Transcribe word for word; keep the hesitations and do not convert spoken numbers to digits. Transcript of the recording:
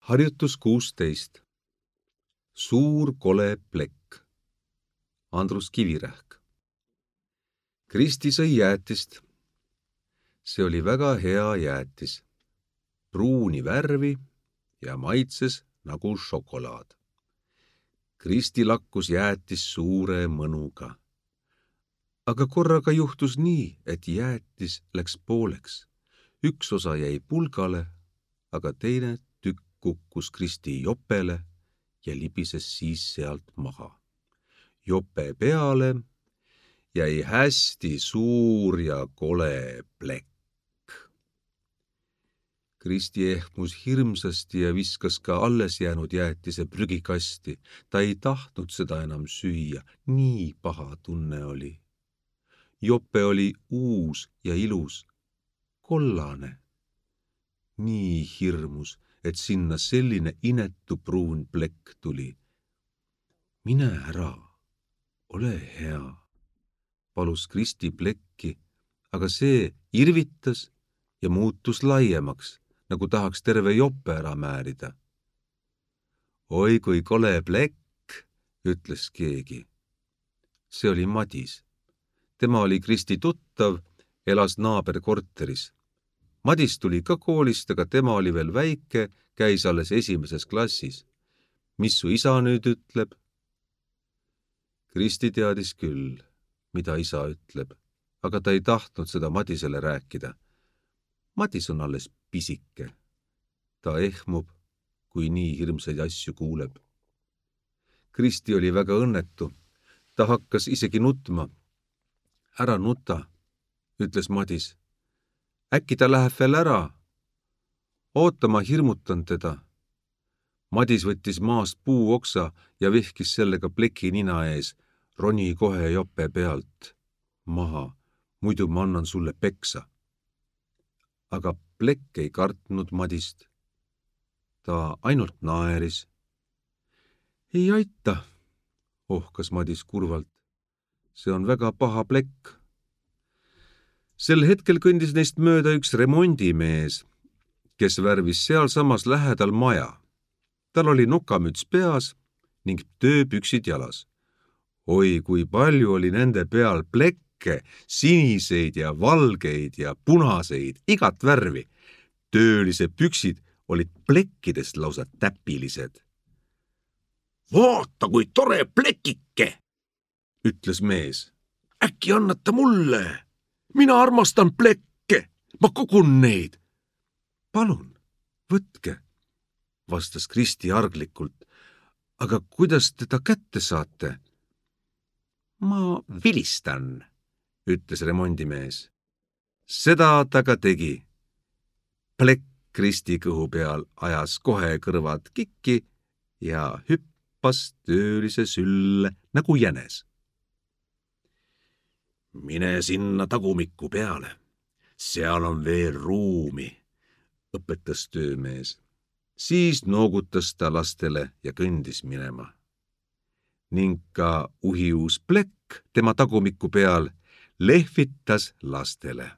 Harjutus kuusteist. Suur kole plekk. Andrus Kivirähk. Kristi sõi jäätist. See oli väga hea jäätis. Pruuni värvi ja maitses nagu šokolaad. Kristi lakkus jäätis suure mõnuga. Aga korraga juhtus nii, et jäätis läks pooleks. Üks osa jäi pulgale, aga teine tükk kukkus Kristi jopele ja libises siis sealt maha. Jope peale jäi hästi suur ja kole plekk. Kristi ehmus hirmsasti ja viskas ka alles jäänud jäätise prügikasti. Ta ei tahtnud seda enam süüa, nii paha tunne oli. Jope oli uus ja ilus, kollane. Nii hirmus, et sinna selline inetu pruun plekk tuli. Mine ära, ole hea, palus Kristi plekki, aga see irvitas ja muutus laiemaks, nagu tahaks terve jope ära määrida. Oi kui kole plekk, ütles keegi. See oli Madis. Tema oli Kristi tuttav, elas naaberkorteris. Madis tuli ka koolist, aga tema oli veel väike, käis alles esimeses klassis. Mis su isa nüüd ütleb? Kristi teadis küll, mida isa ütleb, aga ta ei tahtnud seda Madisele rääkida. Madis on alles pisike. Ta ehmub, kui nii hirmsaid asju kuuleb. Kristi oli väga õnnetu. Ta hakkas isegi nutma. Ära nuta, ütles Madis. Äkki ta läheb veel ära? Oota, ma hirmutan teda. Madis võttis maast puuoksa ja vihkis sellega pleki nina ees. Roni kohe jope pealt. Maha, muidu ma annan sulle peksa. Aga plekk ei kartnud Madist. Ta ainult naeris. Ei aita, ohkas Madis kurvalt. See on väga paha plekk. Sel hetkel kõndis neist mööda üks remondimees, kes värvis sealsamas lähedal maja. Tal oli nokamüts peas ning tööpüksid jalas. Oi, kui palju oli nende peal plekke, siniseid ja valgeid ja punaseid, igat värvi. Töölise püksid olid plekkidest lausa täpilised. Vaata, kui tore plekike, ütles mees. Äkki annata mulle? Mina armastan plekke, ma kogun neid. Palun, võtke, vastas Kristi arglikult. Aga kuidas teda kätte saate? Ma vilistan, ütles remondimees. Seda ta ka tegi. Plekk Kristi kõhu peal ajas kohe kõrvad kikki ja hüppas töölise sülle nagu jänes. Mine sinna tagumikku peale. Seal on veel ruumi, õpetas töömees. Siis noogutas ta lastele ja kõndis minema. Ning ka uhiuus plekk tema tagumikku peal lehvitas lastele.